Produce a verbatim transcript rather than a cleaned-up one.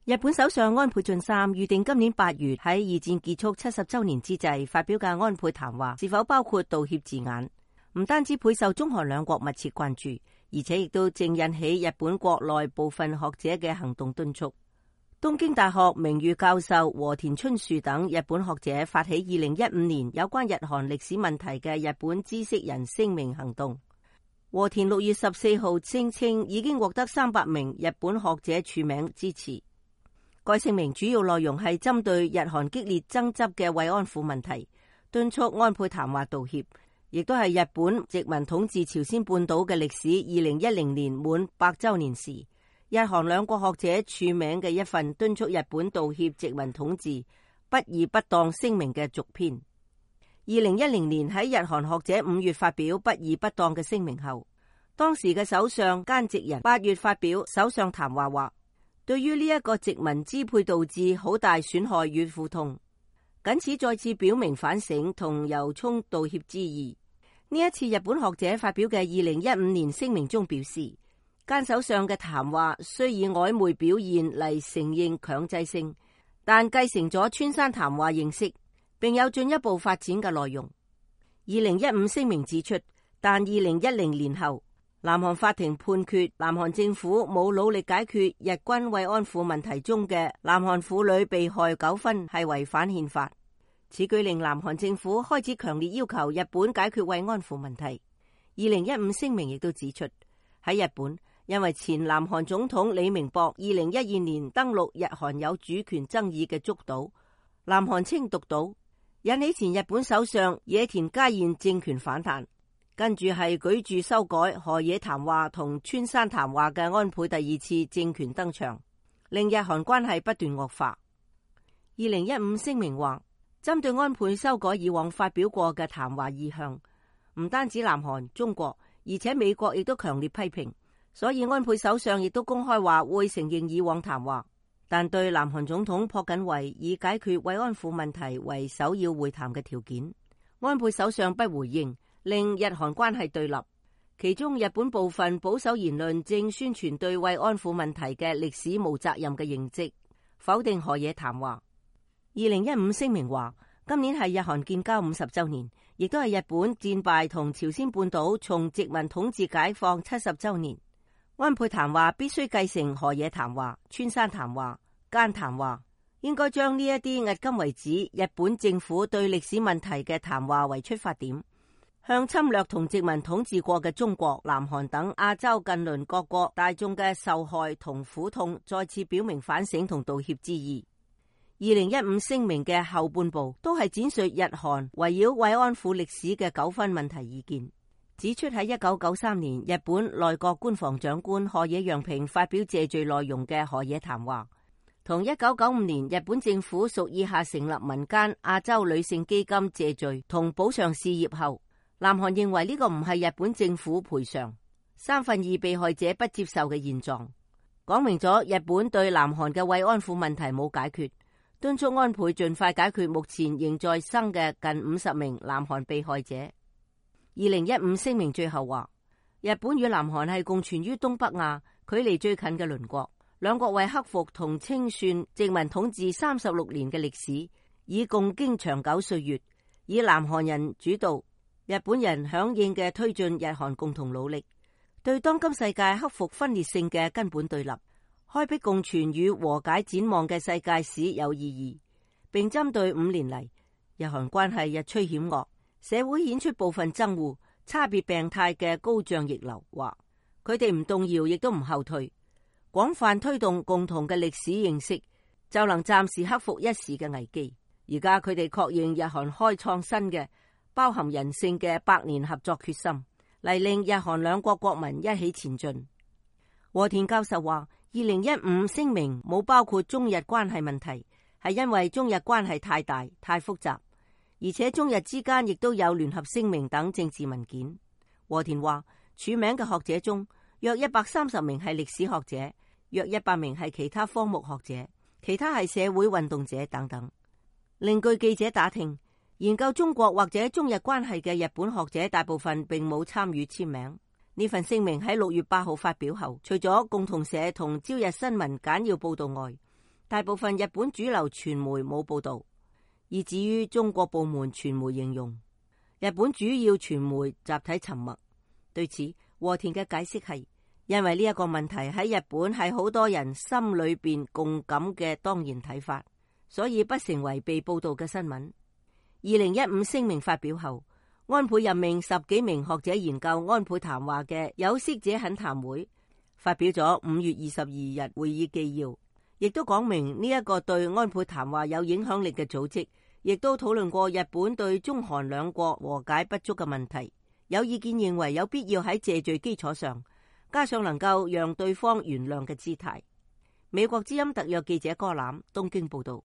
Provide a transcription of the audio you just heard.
日本首相安倍晉三預定今年八月喺二戰結束七十周年之際發表嘅安倍談話，是否包括道歉字眼？唔單止備受中韓兩國密切關注，而且亦都正引起日本國內部分學者嘅行動敦促。東京大學名譽教授和田春樹等日本學者發起二零一五年有關日韓歷史問題嘅日本知識人聲明行動。和田六月十四號聲稱已經獲得三百名日本學者署名支持。該聲明主要內容係針對日韓激烈爭執嘅慰安婦問題，敦促安倍談話道歉，亦都係日本殖民統治朝鮮半島嘅歷史二零一零年滿百周年時，日韓兩國學者署名嘅一份敦促日本道歉殖民統治不義不當聲明嘅續篇。二零一零年喺日韓學者五月發表不義不當嘅聲明後，當時嘅首相菅直人八月發表首相談話話，對於呢一個殖民支配導致好大損害與苦痛，僅此再次表明反省同由衷道歉之意。呢一次日本學者發表嘅二零一五年聲明中表示，菅首相嘅談話雖以曖昧表現嚟承認強制性，但繼承咗村山談話形式，並有進一步發展嘅內容。二零一五聲明指出，但二零一零年後，南韓法庭判決南韓政府冇努力解決日軍慰安婦問題中嘅南韓婦女被害糾紛係違反憲法。此舉令南韓政府開始強烈要求日本解決慰安婦問題。二零一五聲明亦都指出，喺日本因為前南韓總統李明博二零一二年登陸日韓有主權爭議嘅竹島，南韓稱獨島，引起前日本首相野田佳彥政權反彈。跟住係舉住修改河野談話同村山談話嘅安倍第二次政權登場，令日韓關係不斷惡化。二零一五聲明話，針對安倍修改以往發表過嘅談話意向，唔單止南韓、中國，而且美國亦都強烈批評，所以安倍首相亦都公開話會承認以往談話，但對南韓總統朴槿惠以解決慰安婦問題為首要會談嘅條件，安倍首相不回應，令日韓關係對立。其中日本部分保守言論正宣傳對慰安婦問題嘅歷史無責任嘅認識，否定河野談話。二零一五聲明話，今年係日韓建交五十周年，亦都係日本戰敗同朝鮮半島從殖民統治解放七十周年。安倍談話必須繼承河野談話、村山談話、菅談話，應該將呢一啲迄今為止日本政府對歷史問題嘅談話為出發點，向侵略同殖民統治過嘅中國、南韓等亞洲近鄰各國大眾嘅受害同苦痛再次表明反省同道歉之意。二零一五聲明嘅後半部都係展述日韓圍繞慰安婦歷史嘅糾紛問題意見，指出喺一九九三年日本內閣官房長官河野洋平發表謝罪內容嘅河野談話，同一九九五年日本政府屬意下成立民間亞洲女性基金謝罪同補償事業後，南韓認為呢個唔係日本政府賠償三分二被害者不接受嘅現狀，講明咗日本對南韓嘅慰安婦問題冇解決，敦促安倍盡快解決目前仍在生嘅近五十名南韓被害者。二零一五聲明最後話，日本與南韓係共存於東北亞，距離最近嘅鄰國，兩國為克服同清算殖民統治三十六年嘅歷史，以共經長久歲月，以南韓人主導、日本人響應嘅推進日韓共同努力，對當今世界克服分裂性嘅根本對立，開闢共存與和解展望嘅世界史有意義，並針對五年嚟日韓關係日趨險惡，社會顯出部分憎惡、差別病態嘅高漲逆流，話佢哋唔動搖亦都唔後退，廣泛推動共同嘅歷史認識，就能暫時克服一時嘅危機。而家佢哋確認日韓開創新嘅包含人性嘅百年合作決心，嚟令日韓兩國國民一起前進。和田教授話，二零一五聲明冇包括中日關係問題，係因為中日關係太大太複雜，而且中日之間亦都有聯合聲明等政治文件。和田話，署名嘅學者中，約一百三十名係歷史學者，約一百名係其他科目學者，其他係社會運動者等等。另據記者打聽，研究中國或者中日關係嘅日本學者大部分並冇參與簽名。呢份聲明喺六月八號發表後，除咗共同社同朝日新聞簡要報道外，大部分日本主流傳媒冇報道，以至於中國部門傳媒形容日本主要傳媒集體沉默。對此，和田嘅解釋係因為呢一個問題喺日本係好多人心裏邊共感嘅當然睇法，所以不成為被報道嘅新聞。二零一五聲明發表後，安倍任命十幾名學者研究安倍談話嘅有識者懇談會發表咗五月二十二日會議紀要，亦都講明呢一個對安倍談話有影響力嘅組織，亦都討論過日本對中韓兩國和解不足嘅問題。有意見認為有必要喺謝罪基礎上加上能夠讓對方原諒嘅姿態。美國之音特約記者柯攬東京報道。